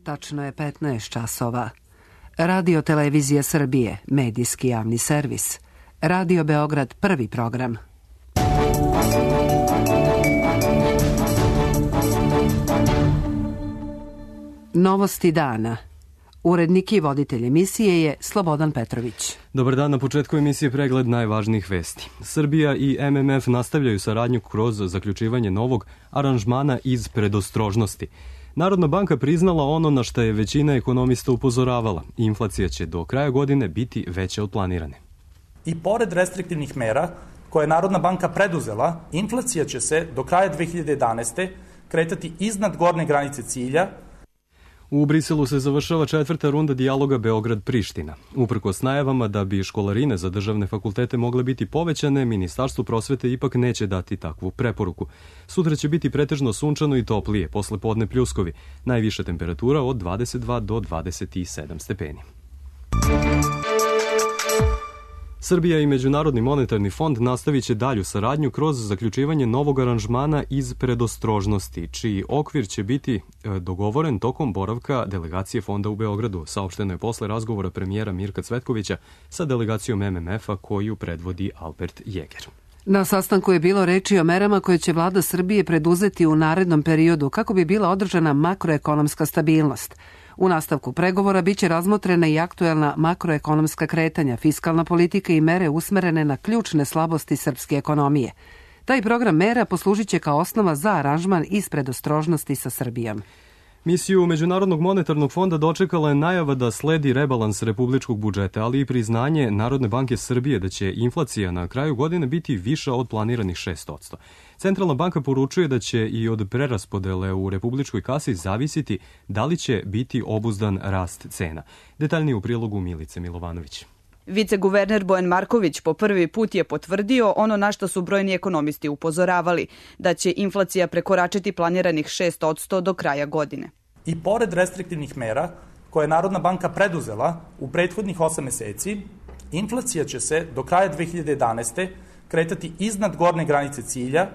Tačno je 15 časova. Radio Televizija Srbije, medijski javni servis. Radio Beograd, prvi program. Novosti dana. Urednik i voditelj emisije je Slobodan Petrović. Dobar dan, na početku emisije pregled najvažnijih vesti. Srbija i MMF nastavljaju saradnju kroz zaključivanje novog aranžmana iz predostrožnosti. Narodna banka priznala ono na što je većina ekonomista upozoravala. Inflacija će do kraja godine biti veća od planirane. I pored restriktivnih mera koje je Narodna banka preduzela, inflacija će se do kraja 2011. kretati iznad gornje granice cilja. U Briselu se završava 4. runda dijaloga Beograd-Priština. Uprkos najavama da bi školarine za državne fakultete mogle biti povećane, Ministarstvo prosvete ipak neće dati takvu preporuku. Sutra će biti pretežno sunčano i toplije, posle podne pljuskovi. Najviša temperatura od 22 do 27 stepeni. Srbija i Međunarodni monetarni fond nastavit će dalju saradnju kroz zaključivanje novog aranžmana iz predostrožnosti, čiji okvir će biti dogovoren tokom boravka delegacije fonda u Beogradu. Saopšteno je posle razgovora premijera Mirka Cvetkovića sa delegacijom MMF-a koju predvodi Albert Jeger. Na sastanku je bilo reči o merama koje će vlada Srbije preduzeti u narednom periodu kako bi bila održana makroekonomska stabilnost. U nastavku pregovora biće razmotrena i aktuelna makroekonomska kretanja, fiskalna politika i mere usmerene na ključne slabosti srpske ekonomije. Taj program mera poslužit će kao osnova za aranžman iz predostrožnosti sa Srbijom. Misiju Međunarodnog monetarnog fonda dočekala je najava da sledi rebalans republičkog budžeta, ali i priznanje Narodne banke Srbije da će inflacija na kraju godine biti viša od planiranih 6%. Centralna banka poručuje da će i od preraspodele u republičkoj kasi zavisiti da li će biti obuzdan rast cena. Detaljnije u prilogu Milice Milovanović. Viceguverner Bojan Marković po prvi put je potvrdio ono na što su brojni ekonomisti upozoravali, da će inflacija prekoračiti planiranih 6% do kraja godine. I pored restriktivnih mera koje je Narodna banka preduzela u prethodnih 8 meseci, inflacija će se do kraja 2011. kretati iznad gornje granice cilja,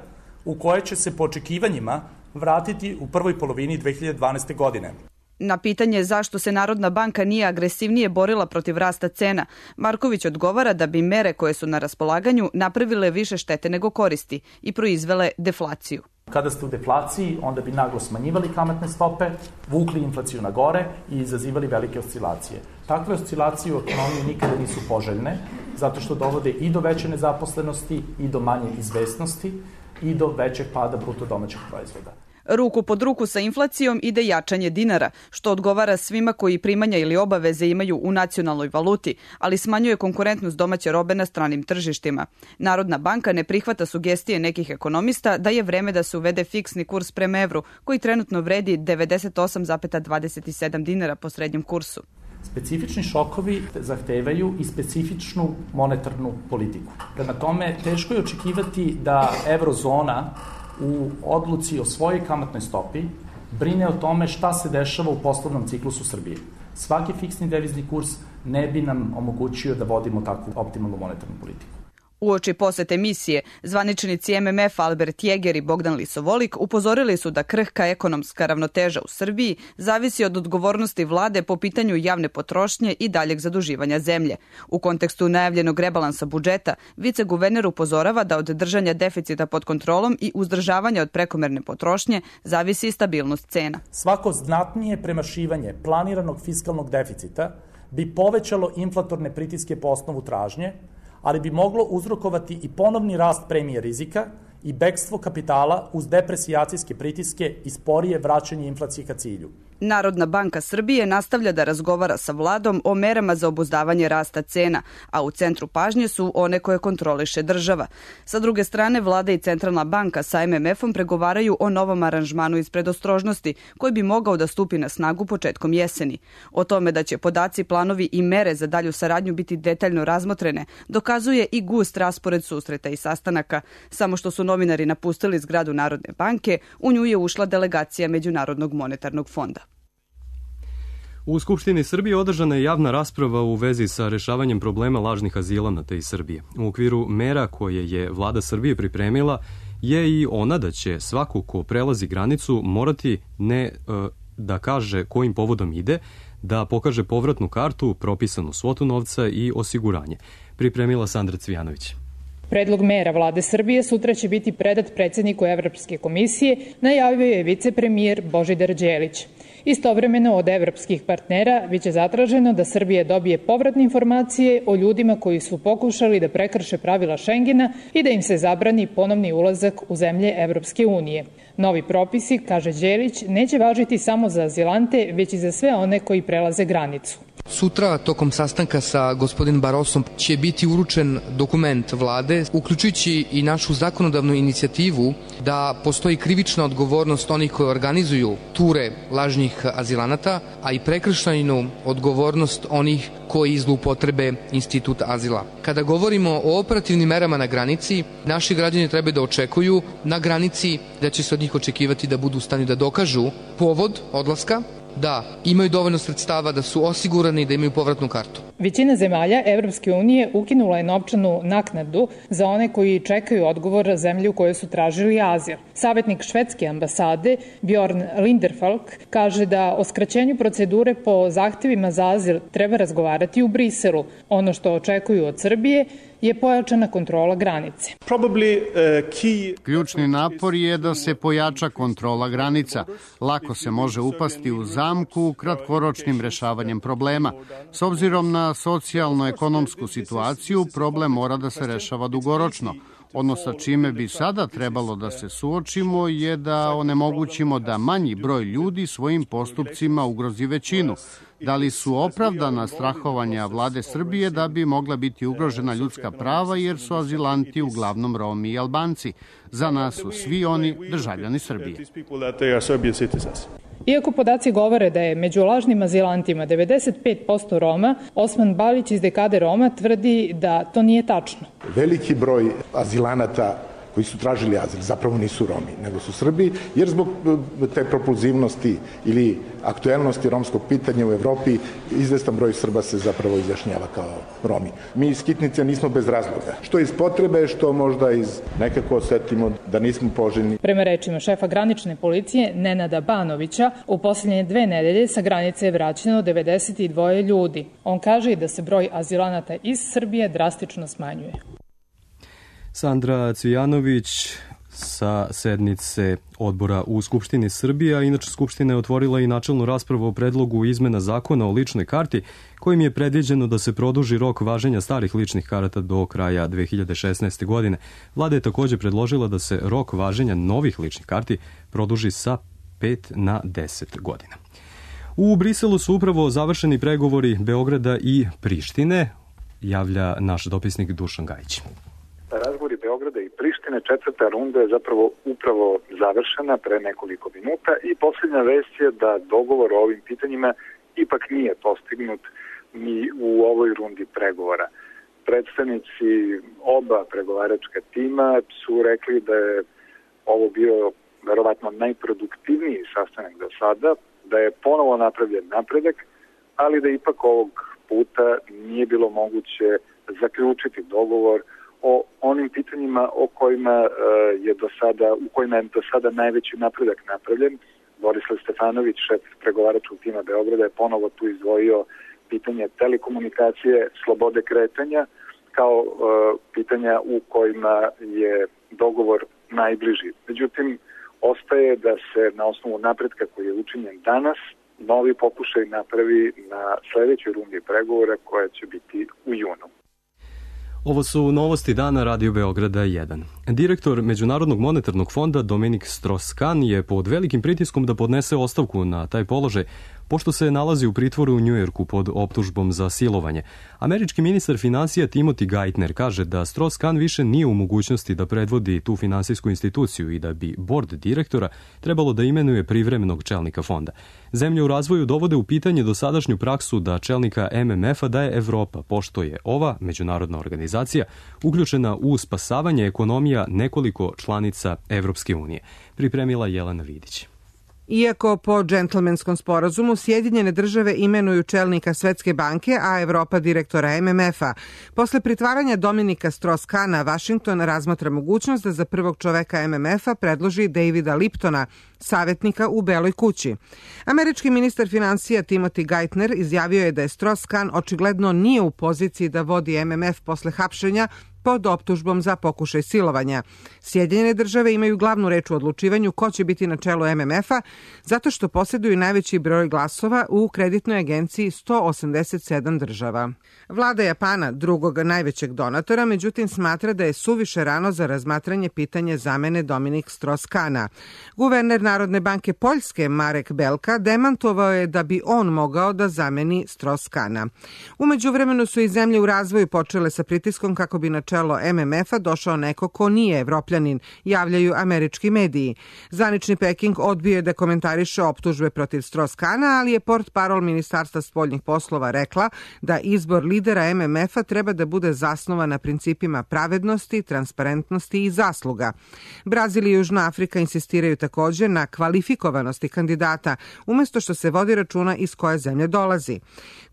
u koje će se po očekivanjima vratiti u prvoj polovini 2012. godine. Na pitanje zašto se Narodna banka nije agresivnije borila protiv rasta cena, Marković odgovara da bi mere koje su na raspolaganju napravile više štete nego koristi i proizvele deflaciju. Kada ste u deflaciji, onda bi naglo smanjivali kamatne stope, vukli inflaciju na gore i izazivali velike oscilacije. Takve oscilacije u ekonomiji nikada nisu poželjne, zato što dovode i do veće nezaposlenosti, i do manje izvesnosti, i do većeg pada bruto domaćeg proizvoda. Ruku pod ruku sa inflacijom ide jačanje dinara, što odgovara svima koji primanja ili obaveze imaju u nacionalnoj valuti, ali smanjuje konkurentnost domaće robe na stranim tržištima. Narodna banka ne prihvata sugestije nekih ekonomista da je vreme da se uvede fiksni kurs prema evru, koji trenutno vredi 98,27 dinara po srednjem kursu. Specifični šokovi zahtevaju i specifičnu monetarnu politiku. Prema tome, teško je očekivati da eurozona u odluci o svojoj kamatnoj stopi brine o tome šta se dešava u poslovnom ciklusu Srbije. Svaki fiksni devizni kurs ne bi nam omogućio da vodimo takvu optimalnu monetarnu politiku. Uoči posete misije, zvaničnici MMF Albert Jeger i Bogdan Lisovolik upozorili su da krhka ekonomska ravnoteža u Srbiji zavisi od odgovornosti vlade po pitanju javne potrošnje i daljeg zaduživanja zemlje. U kontekstu najavljenog rebalansa budžeta, viceguverner upozorava da od držanja deficita pod kontrolom i uzdržavanja od prekomerne potrošnje zavisi i stabilnost cena. Svako znatnije premašivanje planiranog fiskalnog deficita bi povećalo inflatorne pritiske po osnovu tražnje, ali bi moglo uzrokovati i ponovni rast premije rizika i bekstvo kapitala uz depresijacijske pritiske i sporije vraćanje inflacije ka cilju. Narodna banka Srbije nastavlja da razgovara sa vladom o merama za obuzdavanje rasta cena, a u centru pažnje su one koje kontroliše država. Sa druge strane, vlada i centralna banka sa MMF-om pregovaraju o novom aranžmanu iz predostrožnosti, koji bi mogao da stupi na snagu početkom jeseni. O tome da će podaci, planovi i mere za dalju saradnju biti detaljno razmotrene, dokazuje i gust raspored susreta i sastanaka. Samo što su novinari napustili zgradu Narodne banke, u nju je ušla delegacija Međunarodnog monetarnog fonda. U Skupštini Srbije održana je javna rasprava u vezi sa rešavanjem problema lažnih azilanata iz Srbije. U okviru mera koje je vlada Srbije pripremila je i ona da će svako ko prelazi granicu morati da kaže kojim povodom ide, da pokaže povratnu kartu, propisanu svotu novca i osiguranje. Pripremila Sandra Cvijanović. Predlog mera vlade Srbije sutra će biti predat predsjedniku Evropske komisije, najavio je vicepremijer Božidar Đelić. Istovremeno od evropskih partnera biće zatraženo da Srbija dobije povratne informacije o ljudima koji su pokušali da prekrše pravila Šengena i da im se zabrani ponovni ulazak u zemlje Evropske unije. Novi propisi, kaže Đelić, neće važiti samo za azilante, već i za sve one koji prelaze granicu. Sutra, tokom sastanka sa gospodinom Barosom, će biti uručen dokument vlade, uključujući i našu zakonodavnu inicijativu da postoji krivična odgovornost onih koji organizuju ture lažnih azilanata, a i prekršajnu odgovornost onih koji zloupotrebe institut azila. Kada govorimo o operativnim merama na granici, naši građani treba da očekuju na granici da će se od njih očekivati da budu u stanju da dokažu povod odlaska, da imaju dovoljno sredstava, da su osigurani, da imaju povratnu kartu. Većina zemalja Evropske unije ukinula je novčanu naknadu za one koji čekaju odgovor zemlje u kojoj su tražili azil. Savjetnik švedske ambasade Bjorn Linderfalk kaže da o skraćenju procedure po zahtevima za azil treba razgovarati u Briselu. Ono što očekuju od Srbije je pojačana kontrola granice. Ključni napor je da se pojača kontrola granica. Lako se može upasti u zamku kratkoročnim rešavanjem problema. S obzirom na socijalno-ekonomsku situaciju, problem mora da se rešava dugoročno. Ono sa čime bi sada trebalo da se suočimo je da onemogućimo da manji broj ljudi svojim postupcima ugrozi većinu. Da li su opravdana strahovanja vlade Srbije da bi mogla biti ugrožena ljudska prava jer su azilanti uglavnom Romi i Albanci? Za nas su svi oni državljani Srbije. Iako podaci govore da je među lažnim azilantima 95% Roma, Osman Balić iz Dekade Roma tvrdi da to nije tačno. Veliki broj azilanata koji su tražili azil zapravo nisu Romi, nego su Srbi, jer zbog te propulzivnosti ili aktuelnosti romskog pitanja u Evropi izvestan broj Srba se zapravo izjašnjava kao Romi. Mi iz Skitnice nismo bez razloga. Što iz potrebe, što možda iz nekako osetimo da nismo poželjni. Prema rečima šefa granične policije Nenada Banovića, u posljednje 2 nedelje sa granice je vraćeno 92 ljudi. On kaže i da se broj azilanata iz Srbije drastično smanjuje. Sandra Cvijanović sa sednice odbora u Skupštini Srbije, a inače Skupština je otvorila i načelnu raspravu o predlogu izmena zakona o ličnoj karti, kojim je predviđeno da se produži rok važenja starih ličnih karata do kraja 2016. godine. Vlada je također predložila da se rok važenja novih ličnih karti produži sa 5 na 10 godina. U Briselu su upravo završeni pregovori Beograda i Prištine, javlja naš dopisnik Dušan Gajić. Razgovori Beograda i Prištine, 4. runda je zapravo upravo završena pre nekoliko minuta i posljednja vest je da dogovor o ovim pitanjima ipak nije postignut ni u ovoj rundi pregovora. Predstavnici oba pregovaračka tima su rekli da je ovo bio verovatno najproduktivniji sastanak do sada, da je ponovo napravljen napredak, ali da ipak ovog puta nije bilo moguće zaključiti dogovor o onim pitanjima u kojima je do sada najveći napredak napravljen. Borislav Stefanović, šef pregovaračkog tima Beograda, je ponovo tu izdvojio pitanje telekomunikacije, slobode kretanja, kao pitanja u kojima je dogovor najbliži. Međutim, ostaje da se na osnovu napretka koji je učinjen danas, novi pokušaj napravi na sledećoj rundi pregovora koja će biti u junu. Ovo su novosti dana Radio Beograda 1. Direktor Međunarodnog monetarnog fonda Dominik Strauss-Kahn je pod velikim pritiskom da podnese ostavku na taj položaj, pošto se nalazi u pritvoru u Njujorku pod optužbom za silovanje. Američki ministar finansija Timothy Geithner kaže da Strauss-Kahn više nije u mogućnosti da predvodi tu finansijsku instituciju i da bi bord direktora trebalo da imenuje privremenog čelnika fonda. Zemlje u razvoju dovode u pitanje dosadašnju praksu da čelnika MMF-a daje Evropa, pošto je ova međunarodna organizacija uključena u spasavanje ekonomija nekoliko članica Evropske unije. Pripremila Jelena Vidić. Iako po džentlmenskom sporazumu Sjedinjene države imenuju čelnika Svetske banke, a Evropa direktora MMF-a, posle pritvaranja Dominika Strauss-Kahna, Vašington razmatra mogućnost da za prvog čoveka MMF-a predloži Davida Liptona, savjetnika u Beloj kući. Američki ministar financija Timothy Geithner izjavio je da je Strauss-Kahn očigledno nije u poziciji da vodi MMF posle hapšenja pod optužbom za pokušaj silovanja. Sjedinjene države imaju glavnu reč u odlučivanju ko će biti na čelu MMF-a zato što posjeduju najveći broj glasova u kreditnoj agenciji 187 država. Vlada Japana, drugog najvećeg donatora, međutim smatra da je suviše rano za razmatranje pitanja zamene Dominik Strauss-Kahna. Guverner Narodne banke Poljske Marek Belka demantovao je da bi on mogao da zameni Strauss-Kahna. U međuvremenu su i zemlje u razvoju počele sa pritiskom kako bi na čelo MMF-a došao neko ko nije Evropljanin, javljaju američki mediji. Zvanični Peking odbio je da komentariše optužbe protiv Strauss-Kahna, ali je portparol Ministarstva spoljnih poslova rekla da izbor lidera MMF-a treba da bude zasnovan na principima pravednosti, transparentnosti i zasluga. Brazil i Južna Afrika insistiraju također na kvalifikovanosti kandidata, umjesto što se vodi računa iz koje zemlje dolazi.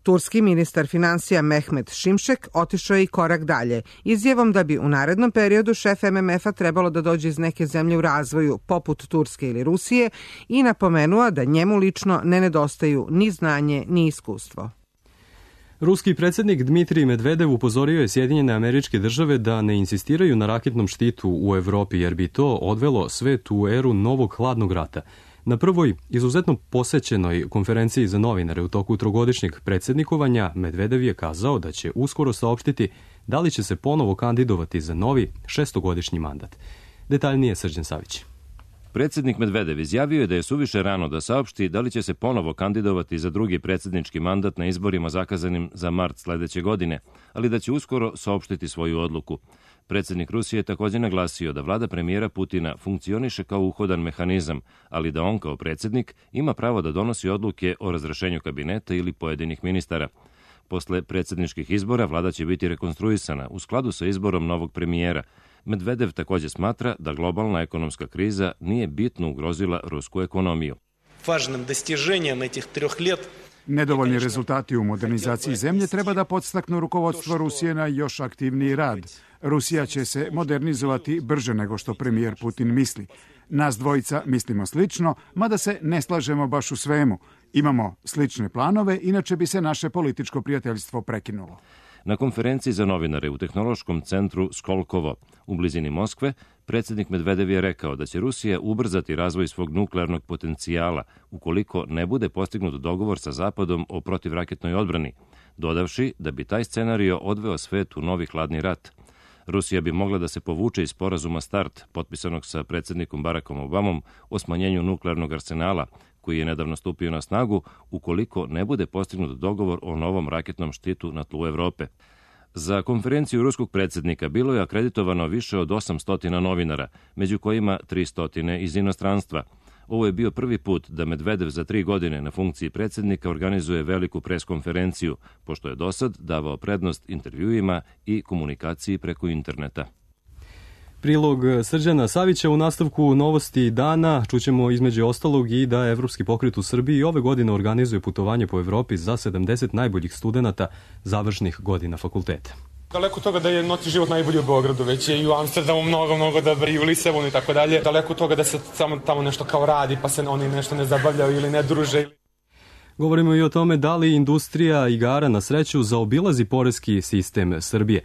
Turski ministar financija Mehmet Şimşek otišao je i korak dalje, izjavom da bi u narednom periodu šef MMF-a trebalo da dođe iz neke zemlje u razvoju, poput Turske ili Rusije, i napomenuo da njemu lično ne nedostaju ni znanje ni iskustvo. Ruski predsjednik Dmitrij Medvedev upozorio je Sjedinjene Američke Države da ne insistiraju na raketnom štitu u Evropi, jer bi to odvelo svet u eru novog hladnog rata. Na prvoj izuzetno posećenoj konferenciji za novinare u toku trogodišnjeg predsjednikovanja Medvedev je kazao da će uskoro saopštiti da li će se ponovo kandidovati za novi šestogodišnji mandat. Detaljnije Srđan Savić. Predsjednik Medvedev izjavio je da je suviše rano da saopšti da li će se ponovo kandidovati za drugi predsjednički mandat na izborima zakazanim za mart sledeće godine, ali da će uskoro saopštiti svoju odluku. Predsjednik Rusije je također naglasio da vlada premijera Putina funkcioniše kao uhodan mehanizam, ali da on kao predsjednik ima pravo da donosi odluke o razrešenju kabineta ili pojedinih ministara. Posle predsjedničkih izbora vlada će biti rekonstruisana u skladu sa izborom novog premijera. Medvedev također smatra da globalna ekonomska kriza nije bitno ugrozila rusku ekonomiju. Nedovoljni rezultati u modernizaciji zemlje treba da podstaknu rukovodstvo Rusije na još aktivniji rad. Rusija će se modernizovati brže nego što premijer Putin misli. Nas dvojica mislimo slično, mada se ne slažemo baš u svemu. Imamo slične planove, inače bi se naše političko prijateljstvo prekinulo. Na konferenciji za novinare u tehnološkom centru Skolkovo u blizini Moskve, predsjednik Medvedev je rekao da će Rusija ubrzati razvoj svog nuklearnog potencijala ukoliko ne bude postignut dogovor sa Zapadom o protivraketnoj odbrani, dodavši da bi taj scenario odveo svet u novi hladni rat. Rusija bi mogla da se povuče iz sporazuma START, potpisanog sa predsjednikom Barackom Obamom o smanjenju nuklearnog arsenala, koji je nedavno stupio na snagu, ukoliko ne bude postignut dogovor o novom raketnom štitu na tlu Evrope. Za konferenciju ruskog predsjednika bilo je akreditovano više od 800 novinara, među kojima 300 iz inostranstva. Ovo je bio prvi put da Medvedev za 3 godine na funkciji predsjednika organizuje veliku preskonferenciju, pošto je dosad davao prednost intervjuima i komunikaciji preko interneta. Prilog Srđana Savića. U nastavku novosti dana čućemo između ostalog i da Evropski pokret u Srbiji ove godine organizuje putovanje po Evropi za 70 najboljih studenata završnih godina fakulteta. Daleko toga da je noćni život najbolji u Beogradu, već je i u Amsterdamu mnogo dobar, i u Lisabonu i tako dalje. Daleko toga da se samo tamo nešto kao radi, pa se oni nešto ne zabavljaju ili ne druže. Govorimo i o tome da li industrija igara na sreću zaobilazi poreski sistem Srbije.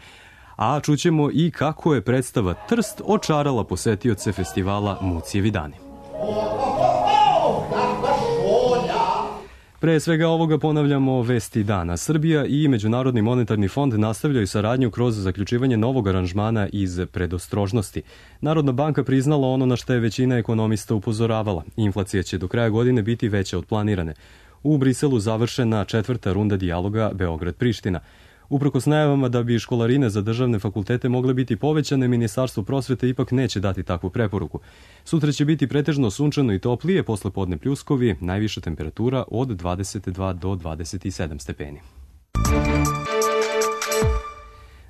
A čućemo i kako je predstava Trst očarala posetioce festivala Mucijevi dani. Pre svega ovoga ponavljamo vesti dana. Srbija i Međunarodni monetarni fond nastavljaju saradnju kroz zaključivanje novog aranžmana iz predostrožnosti. Narodna banka priznala ono na što je većina ekonomista upozoravala. Inflacija će do kraja godine biti veća od planirane. U Briselu završena 4. runda dijaloga Beograd-Priština. Uprkos najavama da bi školarine za državne fakultete mogle biti povećane, Ministarstvo prosvete ipak neće dati takvu preporuku. Sutra će biti pretežno sunčano i toplije, posle podne pljuskovi, najviša temperatura od 22 do 27 stepeni.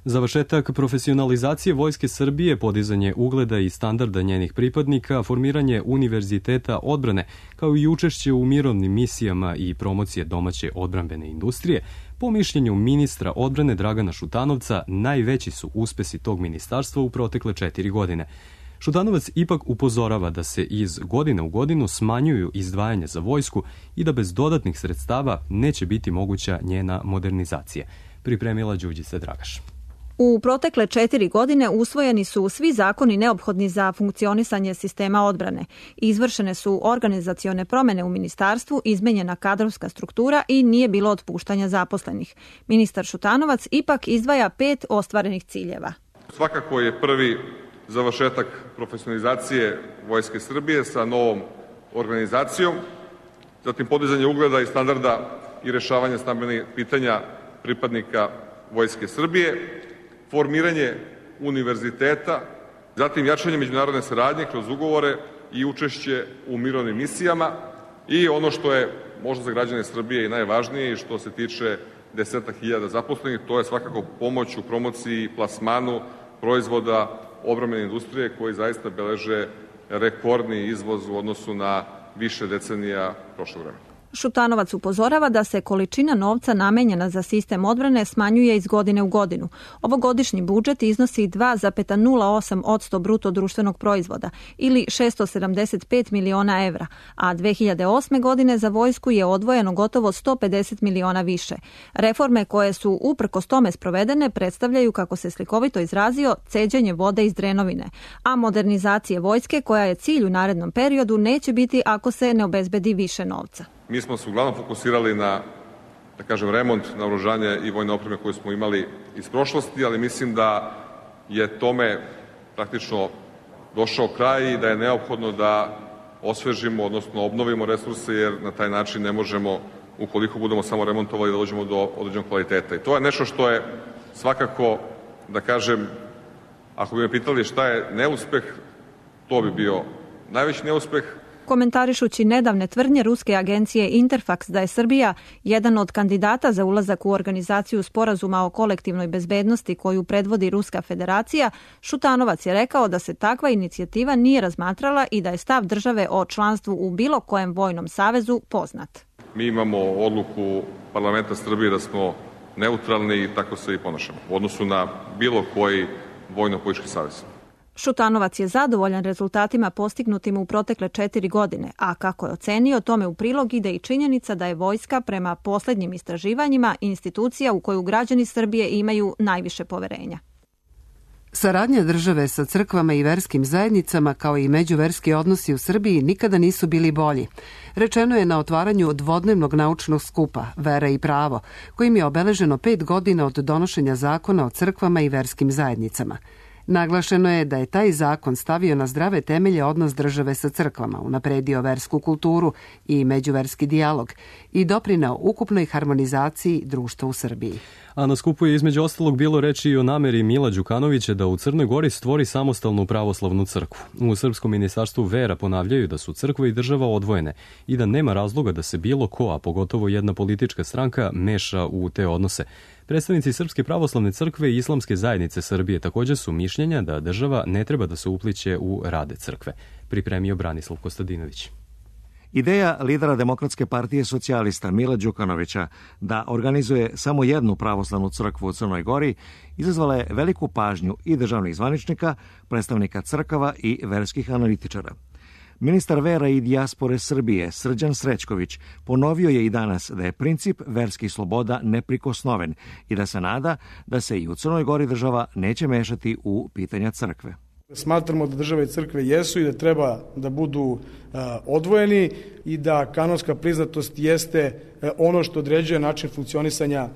Završetak profesionalizacije Vojske Srbije, podizanje ugleda i standarda njenih pripadnika, formiranje univerziteta odbrane, kao i učešće u mirovnim misijama i promocije domaće odbrambene industrije, po mišljenju ministra odbrane Dragana Šutanovca, najveći su uspesi tog ministarstva u protekle 4 godine. Šutanovac ipak upozorava da se iz godine u godinu smanjuju izdvajanja za vojsku i da bez dodatnih sredstava neće biti moguća njena modernizacija. Pripremila Đurđica Dragaš. U protekle 4 godine usvojeni su svi zakoni neophodni za funkcionisanje sistema odbrane. Izvršene su organizacione promene u ministarstvu, izmenjena kadrovska struktura i nije bilo otpuštanja zaposlenih. Ministar Šutanovac ipak izdvaja 5 ostvarenih ciljeva. Svakako je prvi završetak profesionalizacije Vojske Srbije sa novom organizacijom, zatim podizanje ugleda i standarda i rešavanje stambenih pitanja pripadnika Vojske Srbije, formiranje univerziteta, zatim jačanje međunarodne saradnje kroz ugovore i učešće u mirovnim misijama i ono što je možda za građane Srbije i najvažnije i što se tiče 10.000 zaposlenih, to je svakako pomoć u promociji i plasmanu proizvoda odbrambene industrije koji zaista beleže rekordni izvoz u odnosu na više decenija prošlog vremena. Šutanovac upozorava da se količina novca namenjena za sistem odbrane smanjuje iz godine u godinu. Ovogodišnji budžet iznosi 2,08% bruto društvenog proizvoda ili 675 miliona evra, a 2008. godine za vojsku je odvojeno gotovo 150 miliona više. Reforme koje su uprkos tome sprovedene predstavljaju, kako se slikovito izrazio, ceđenje vode iz drenovine, a modernizacije vojske, koja je cilj u narednom periodu, neće biti ako se ne obezbedi više novca. Mi smo se uglavnom fokusirali na, da kažem, remont, naoružanje i vojne opreme koje smo imali iz prošlosti, ali mislim da je tome praktično došao kraj i da je neophodno da osvežimo, odnosno obnovimo resurse, jer na taj način ne možemo, ukoliko budemo samo remontovali, da dođemo do određenog kvaliteta. I to je nešto što je svakako, da kažem, ako bi me pitali šta je neuspeh, to bi bio najveći neuspeh. Komentarišući nedavne tvrdnje ruske agencije Interfax da je Srbija jedan od kandidata za ulazak u organizaciju sporazuma o kolektivnoj bezbednosti koju predvodi Ruska federacija, Šutanovac je rekao da se takva inicijativa nije razmatrala i da je stav države o članstvu u bilo kojem vojnom savezu poznat. Mi imamo odluku parlamenta Srbije da smo neutralni i tako se i ponašamo u odnosu na bilo koji vojno-politički savez. Šutanovac je zadovoljan rezultatima postignutim u protekle 4 godine, a kako je ocenio, tome u prilog ide i činjenica da je vojska prema poslednjim istraživanjima institucija u koju građani Srbije imaju najviše poverenja. Saradnja države sa crkvama i verskim zajednicama, kao i međuverski odnosi u Srbiji, nikada nisu bili bolji. Rečeno je na otvaranju dvodnevnog naučnog skupa Vera i pravo, kojim je obeleženo 5 godina od donošenja zakona o crkvama i verskim zajednicama. Naglašeno je da je taj zakon stavio na zdrave temelje odnos države sa crkvama, unapredio versku kulturu i međuverski dijalog i doprineo ukupnoj harmonizaciji društva u Srbiji. A na skupu je između ostalog bilo reči i o nameri Mila Đukanovića da u Crnoj Gori stvori samostalnu pravoslavnu crkvu. U Srpskom ministarstvu vera ponavljaju da su crkva i država odvojene i da nema razloga da se bilo ko, a pogotovo jedna politička stranka, meša u te odnose. Predstavnici Srpske pravoslavne crkve i Islamske zajednice Srbije također su mišljenja da država ne treba da se upliće u rade crkve. Pripremio Branislav Kostadinović. Ideja lidera Demokratske partije socijalista Mila Đukanovića da organizuje samo jednu pravoslavnu crkvu u Crnoj Gori izazvala je veliku pažnju i državnih zvaničnika, predstavnika crkava i verskih analitičara. Ministar vera i dijaspore Srbije Srđan Srećković ponovio je i danas da je princip verskih sloboda neprikosnoven i da se nada da se i u Crnoj Gori država neće mešati u pitanja crkve. Smatramo da države i crkve jesu i da treba da budu odvojeni i da kanonska priznatost jeste ono što određuje način funkcionisanja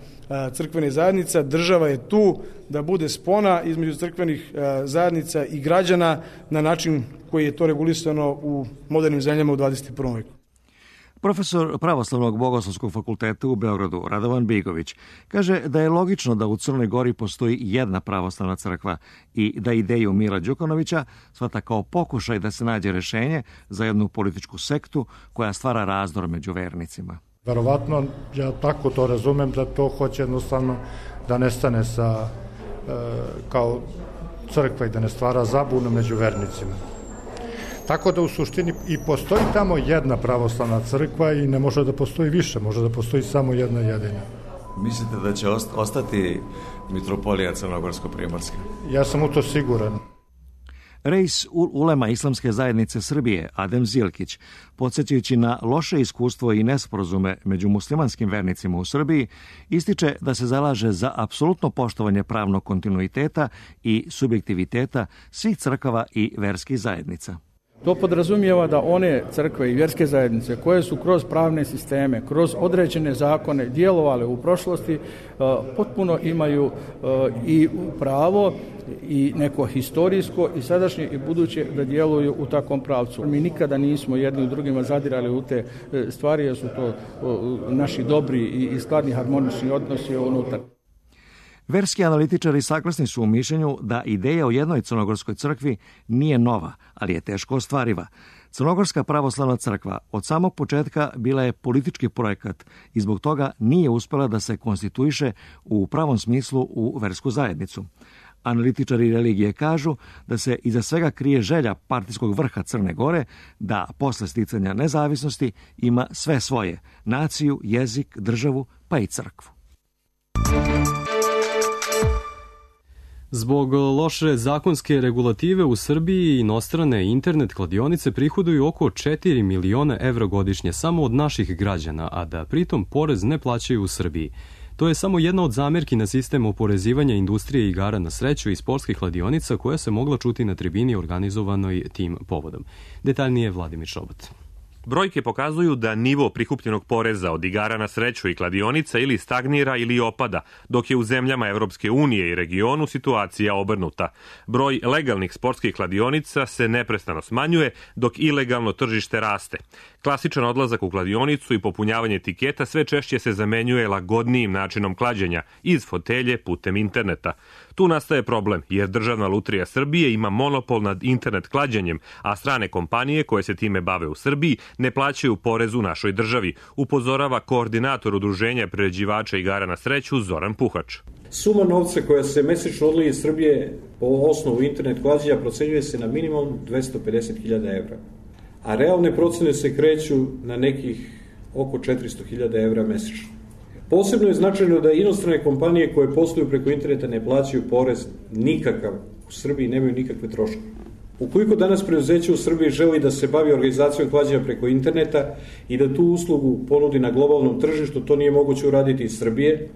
crkvenih zajednica. Država je tu da bude spona između crkvenih zajednica i građana na način koji je to regulisano u modernim zemljama u 21. veku. Profesor Pravoslavnog bogoslovskog fakulteta u Beogradu, Radovan Bigović, kaže da je logično da u Crnoj Gori postoji jedna pravoslavna crkva i da ideju Mila Đukanovića shvata kao pokušaj da se nađe rešenje za jednu političku sektu koja stvara razdor među vernicima. Verovatno, ja tako to razumem, da to hoće jednostavno da nestane sa kao crkva i da ne stvara zabunu među vernicima. Tako da u suštini i postoji tamo jedna pravoslavna crkva i ne može da postoji više, može da postoji samo jedna jedina. Mislite da će ostati mitropolija Crnogorsko-primorska? Ja sam u to siguran. Reis ulema Islamske zajednice Srbije, Adem Zilkić, podsjećajući na loše iskustvo i nesporazume među muslimanskim vernicima u Srbiji, ističe da se zalaže za apsolutno poštovanje pravnog kontinuiteta i subjektiviteta svih crkava i verskih zajednica. To podrazumijeva da one crkve i vjerske zajednice koje su kroz pravne sisteme, kroz određene zakone djelovale u prošlosti, potpuno imaju i pravo i neko historijsko i sadašnje i buduće da djeluju u takvom pravcu. Mi nikada nismo jedni u drugima zadirali u te stvari, jer su to naši dobri i skladni harmonični odnosi unutar. Verski analitičari saglasni su u mišljenju da ideja o jednoj crnogorskoj crkvi nije nova, ali je teško ostvariva. Crnogorska pravoslavna crkva od samog početka bila je politički projekat i zbog toga nije uspela da se konstituiše u pravom smislu u versku zajednicu. Analitičari religije kažu da se iza svega krije želja partijskog vrha Crne Gore da posle sticanja nezavisnosti ima sve svoje, naciju, jezik, državu pa i crkvu. Zbog loše zakonske regulative u Srbiji inostrane internet kladionice prihoduju oko 4 miliona evra godišnje samo od naših građana, a da pritom porez ne plaćaju u Srbiji. To je samo jedna od zamerki na sistem oporezivanja industrije igara na sreću i sportskih kladionica koja se mogla čuti na tribini organizovanoj tim povodom. Detaljnije Vladimir Šobat. Brojke pokazuju da nivo prikupljenog poreza od igara na sreću i kladionica ili stagnira ili opada, dok je u zemljama Evropske unije i regionu situacija obrnuta. Broj legalnih sportskih kladionica se neprestano smanjuje, dok ilegalno tržište raste. Klasičan odlazak u kladionicu i popunjavanje etiketa sve češće se zamenjuje lagodnijim načinom klađenja iz fotelje putem interneta. Tu nastaje problem, jer Državna lutrija Srbije ima monopol nad internet klađenjem, a strane kompanije koje se time bave u Srbiji ne plaćaju porez u našoj državi, upozorava koordinator udruženja priređivača igara na sreću Zoran Puhač. Suma novca koja se mesečno odlije iz Srbije po osnovu internet klađenja procenjuje se na minimum 250.000 evra, a realne procene se kreću na nekih oko 400.000 evra mesečno. Posebno je značajno da inostrane kompanije koje posluju preko interneta ne plaćaju porez nikakav u Srbiji, nemaju nikakve troškove. Ukoliko danas preduzeće u Srbiji želi da se bavi organizacijom klađenja preko interneta i da tu uslugu ponudi na globalnom tržištu, to nije moguće uraditi iz Srbije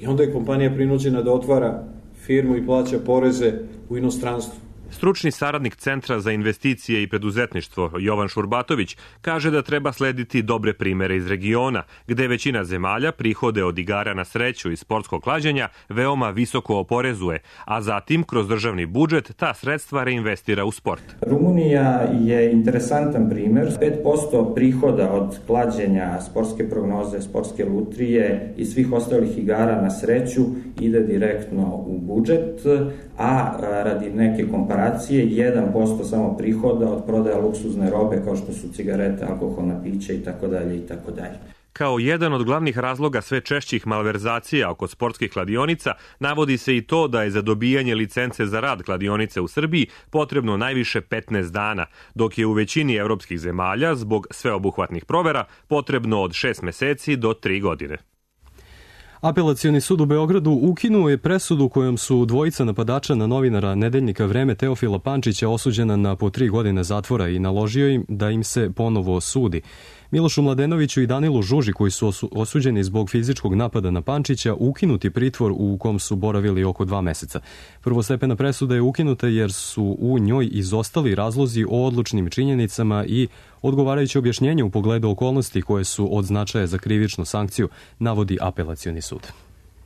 i onda je kompanija prinuđena da otvara firmu i plaća poreze u inostranstvu. Stručni saradnik Centra za investicije i preduzetništvo Jovan Šurbatović kaže da treba slediti dobre primere iz regiona, gde većina zemalja prihode od igara na sreću i sportskog klađenja veoma visoko oporezuje, a zatim kroz državni budžet ta sredstva reinvestira u sport. Rumunija je interesantan primer. 5% prihoda od klađenja, sportske prognoze, sportske lutrije i svih ostalih igara na sreću ide direktno u budžet, a radi neke komparacije 1% samo prihoda od prodaja luksuzne robe kao što su cigarete, alkoholna pića itd. itd. Kao jedan od glavnih razloga sve češćih malverzacija oko sportskih kladionica navodi se i to da je za dobijanje licence za rad kladionice u Srbiji potrebno najviše 15 dana, dok je u većini evropskih zemalja zbog sveobuhvatnih provera potrebno od 6 meseci do 3 godine. Apelacioni sud u Beogradu ukinuo je presudu kojom su dvojica napadača na novinara Nedeljnika Vreme Teofila Pančića osuđena na po 3 godine zatvora i naložio im da im se ponovo sudi. Milošu Mladenoviću i Danilu Žuži, koji su osuđeni zbog fizičkog napada na Pančića, ukinuti pritvor u kom su boravili oko 2 meseca. Prvostepena presuda je ukinuta jer su u njoj izostali razlozi o odlučnim činjenicama i odgovarajuće objašnjenje u pogledu okolnosti koje su od značaja za krivičnu sankciju, navodi apelacioni sud.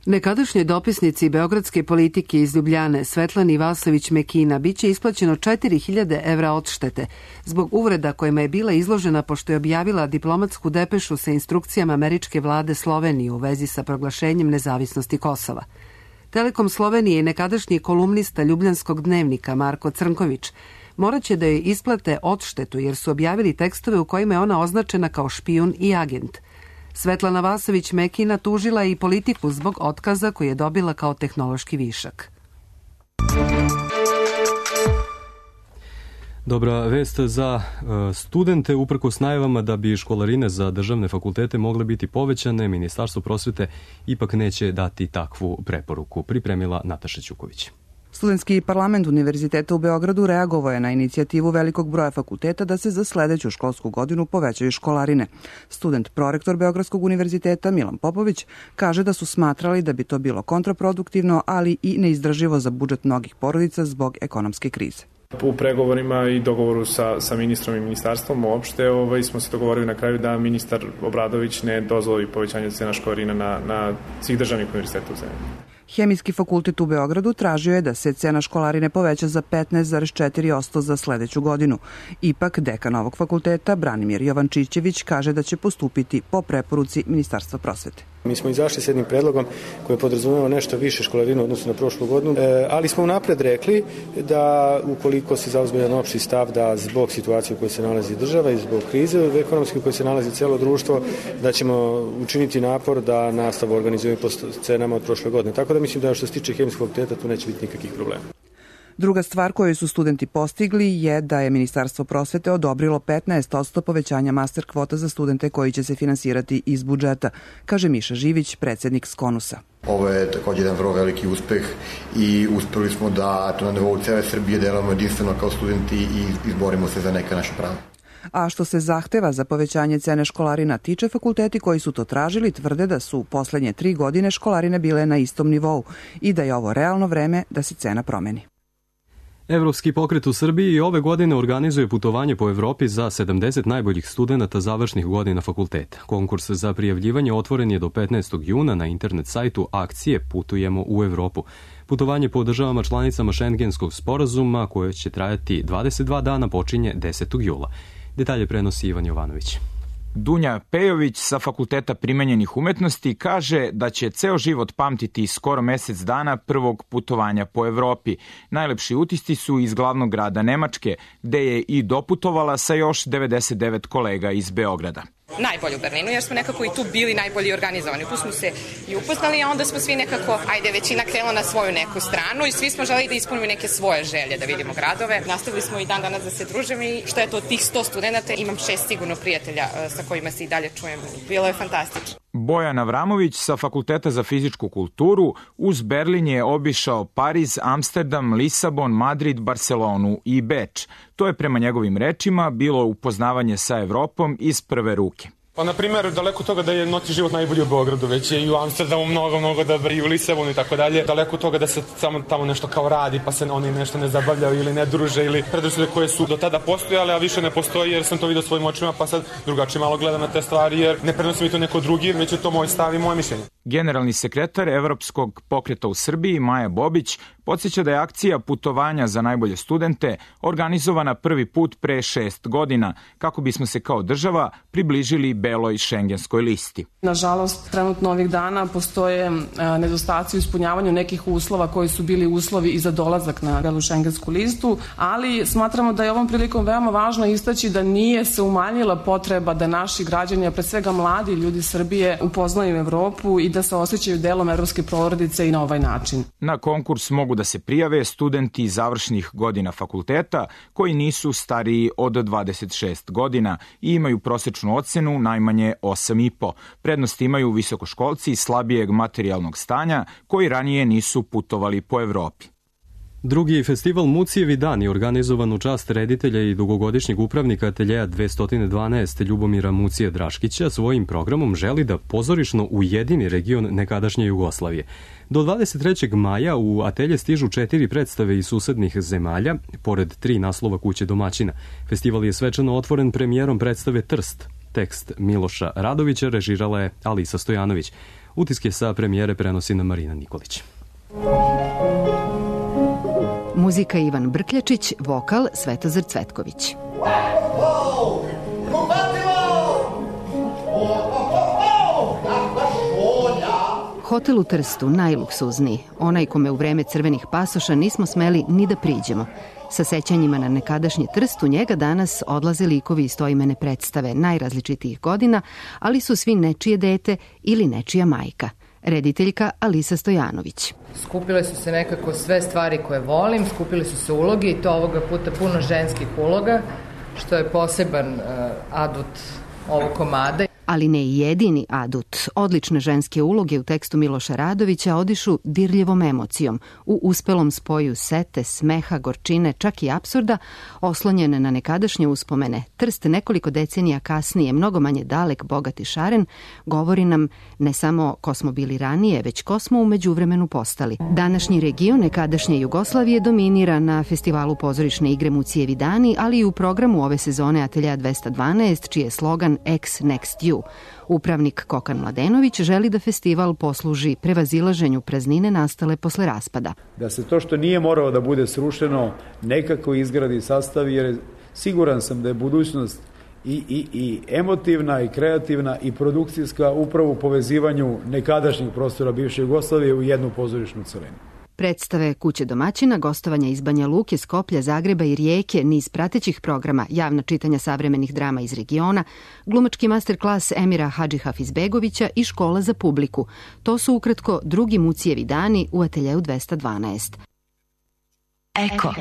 Nekadašnjoj dopisnici beogradske politike iz Ljubljane Svetlani Vasović-Mekina biće isplaćeno 4.000 evra odštete zbog uvreda kojima je bila izložena pošto je objavila diplomatsku depešu sa instrukcijama američke vlade Slovenije u vezi sa proglašenjem nezavisnosti Kosova. Telekom Slovenije i nekadašnji kolumnista Ljubljanskog dnevnika Marko Crnković moraće da joj isplate odštetu jer su objavili tekstove u kojima je ona označena kao špijun i agent. Svetlana Vasović-Mekina tužila i politiku zbog otkaza koji je dobila kao tehnološki višak. Dobra vest za studente, uprkos najavama da bi školarine za državne fakultete mogle biti povećane, Ministarstvo prosvete ipak neće dati takvu preporuku, pripremila Nataša Ćuković. Studentski parlament Univerziteta u Beogradu reagovao je na inicijativu velikog broja fakulteta da se za sledeću školsku godinu povećaju školarine. Student prorektor Beogradskog univerziteta Milan Popović kaže da su smatrali da bi to bilo kontraproduktivno, ali i neizdrživo za budžet mnogih porodica zbog ekonomske krize. U pregovorima i dogovoru sa ministrom i ministarstvom uopšte smo se dogovorili na kraju da ministar Obradović ne dozvoli povećanje cena školarina na svih državnih univerziteta u zemlji. Hemijski fakultet u Beogradu tražio je da se cena školarine poveća za 15,4% za sledeću godinu. Ipak, dekan ovog fakulteta, Branimir Jovančićević, kaže da će postupiti po preporuci Ministarstva prosvete. Mi smo izašli s jednim predlogom koji podrazumeva nešto više školarinu odnosno na prošlu godinu, ali smo unapred rekli da ukoliko se zauzme jedan opšti stav da zbog situacije u kojoj se nalazi država i zbog krize ekonomske u kojoj se nalazi celo društvo, da ćemo učiniti napor da nastavu organizujemo po cenama od prošle godine. Tako da mislim da što se tiče hemijskog fakulteta tu neće biti nikakvih problema. Druga stvar koju su studenti postigli je da je Ministarstvo prosvete odobrilo 15% povećanja master kvota za studente koji će se finansirati iz budžeta, kaže Miša Živić, predsednik Skonusa. Ovo je također jedan vrlo veliki uspeh i uspeli smo da na nivou cele Srbije delamo jedinstveno kao studenti i izborimo se za neka naša prava. A što se zahteva za povećanje cene školarina tiče, fakulteti koji su to tražili tvrde da su u poslednje 3 godine školarine bile na istom nivou i da je ovo realno vreme da se cena promeni. Evropski pokret u Srbiji i ove godine organizuje putovanje po Evropi za 70 najboljih studenata završnih godina fakulteta. Konkurs za prijavljivanje otvoren je do 15. juna na internet sajtu akcije Putujemo u Evropu. Putovanje po državama članicama Šengenskog sporazuma, koje će trajati 22 dana, počinje 10. jula. Detalje prenosi Ivan Jovanović. Dunja Pejović sa Fakulteta primenjenih umetnosti kaže da će ceo život pamtiti skoro mesec dana prvog putovanja po Evropi. Najlepši utisci su iz glavnog grada Nemačke, gde je i doputovala sa još 99 kolega iz Beograda. Najbolje u Berlinu, jer smo nekako i tu bili najbolji organizovani. Tu smo se i upoznali, a onda smo svi nekako, većina krenula na svoju neku stranu i svi smo želeli da ispunimo neke svoje želje, da vidimo gradove. Nastavili smo i dan danas da se družimo i što je to od tih 100 studenta, imam 6 sigurno prijatelja sa kojima se i dalje čujem. Bilo je fantastično. Bojan Avramović sa Fakulteta za fizičku kulturu uz Berlin je obišao Pariz, Amsterdam, Lisabon, Madrid, Barcelonu i Beč. To je prema njegovim rečima bilo upoznavanje sa Evropom iz prve ruke. Pa, na primjer, daleko toga da je noćni život najbolji u Beogradu, već je i u Amsterdamu mnogo dobar i u Lisabonu i tako dalje. Daleko toga da se samo tamo nešto kao radi, pa se oni nešto ne zabavljaju ili ne druže ili predrasude koje su do tada postojale, a više ne postoji jer sam to vidio svojim očima, pa sad drugačije malo gledam na te stvari jer ne prenosi mi to neko drugi, već je to moj stav i moje mišljenje. Generalni sekretar Evropskog pokreta u Srbiji, Maja Bobić, podsjeća da je akcija putovanja za najbolje studente organizovana prvi put pre 6 godina, kako bismo se kao država približili beloj šengenskoj listi. Nažalost, trenutno ovih dana postoje nedostaci u ispunjavanju nekih uslova koji su bili uslovi i za dolazak na belu šengensku listu, ali smatramo da je ovom prilikom veoma važno istaći da nije se umanjila potreba da naši građani, a pre svega mladi ljudi Srbije, upoznaju Evropu i da se osjećaju delom evropske porodice i na ovaj način. Na konkurs mogu da se prijave studenti završnih godina fakulteta koji nisu stariji od 26 godina i imaju prosečnu ocenu najmanje 8,5. Prednost imaju visokoškolci slabijeg materijalnog stanja koji ranije nisu putovali po Evropi. Drugi festival Mucijevi dani, organizovan u čast reditelja i dugogodišnjeg upravnika ateljeja 212 Ljubomira Mucije Draškića, svojim programom želi da pozorišno ujedini region nekadašnje Jugoslavije. Do 23. maja u atelje stižu 4 predstave iz susednih zemalja, pored 3 naslova kuće domaćina. Festival je svečano otvoren premijerom predstave Trst. Tekst Miloša Radovića režirala je Alisa Stojanović. Utiske sa premijere prenosi na Marina Nikolić. Muzika Ivan Brkljačić, vokal Svetozar Cvetković. Hotel u Trstu, najluksuzniji, onaj kome u vreme crvenih pasoša nismo smeli ni da priđemo. Sa sećanjima na nekadašnji Trst u njega danas odlaze likovi iz stoimene predstave najrazličitijih godina, ali su svi nečije dete ili nečija majka. Rediteljka Alisa Stojanović. Skupile su se nekako sve stvari koje volim, skupile su se uloge i to ovoga puta puno ženskih uloga, što je poseban adut ovog komada. Ali ne i jedini adut. Odlične ženske uloge u tekstu Miloša Radovića odišu dirljivom emocijom, u uspelom spoju sete, smeha, gorčine, čak i apsurda, oslonjene na nekadašnje uspomene. Trst nekoliko decenija kasnije, mnogo manje dalek, bogat i šaren, govori nam ne samo ko smo bili ranije, već ko smo u međuvremenu postali. Današnji region nekadašnje Jugoslavije dominira na festivalu pozorišne igre Mucijevi dani, ali i u programu ove sezone Atelja 212, čiji je slogan Ex Next You. Upravnik Kokan Mladenović želi da festival posluži prevazilaženju praznine nastale posle raspada. Da se to što nije moralo da bude srušeno nekako izgradi, sastavi, jer siguran sam da je budućnost i emotivna i kreativna i produkcijska upravo u povezivanju nekadašnjih prostora bivše Jugoslavije u jednu pozorišnu celinu. Predstave Kuće domaćina, gostovanja iz Banja Luke, Skoplja, Zagreba i Rijeke, niz pratećih programa, javna čitanja savremenih drama iz regiona, glumački masterklas Emira Hadži Hafizbegovića i škola za publiku. To su ukratko drugi Mucijevi dani u Ateljeu 212. Eko.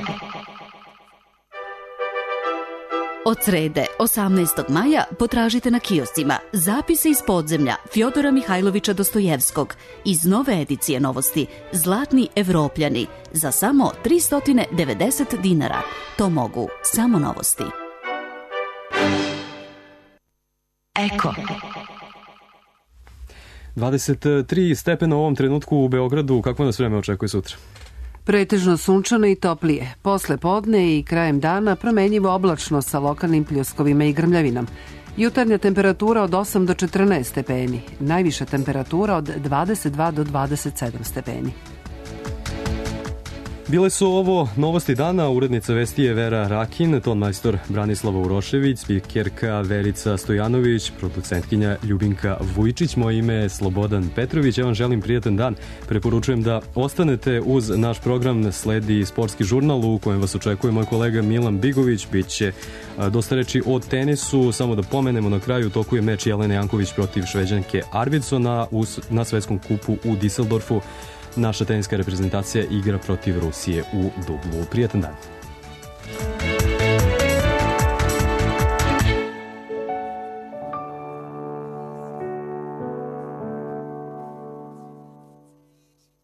Od srede, 18. maja, potražite na kioscima Zapise iz podzemlja Fjodora Mihajlovića Dostojevskog iz nove edicije novosti Zlatni Evropljani za samo 390 dinara. To mogu samo novosti. Eko. 23 stepena u ovom trenutku u Beogradu. Kakvo nas vreme očekuje sutra? Pretežno sunčano i toplije. Posle podne i krajem dana promenjivo oblačno sa lokalnim pljuskovima i grmljavinom. Jutarnja temperatura od 8 do 14 stepeni. Najviša temperatura od 22 do 27 stepeni. Bile su ovo novosti dana, urednica vesti je Vera Rakin, tonmajstor Branislava Urošević, spikerka Verica Stojanović, producentkinja Ljubinka Vujčić, moje ime je Slobodan Petrović, ja vam želim prijatan dan, preporučujem da ostanete uz naš program, sledi sportski žurnal u kojem vas očekuje moj kolega Milan Bigović, bit će dosta reči o tenisu, samo da pomenemo na kraju, u toku je meč Jelene Janković protiv Šveđanke Arvidsona na svetskom kupu u Düsseldorfu. Naša teniska reprezentacija igra protiv Rusije u dublu. Prijatan dan.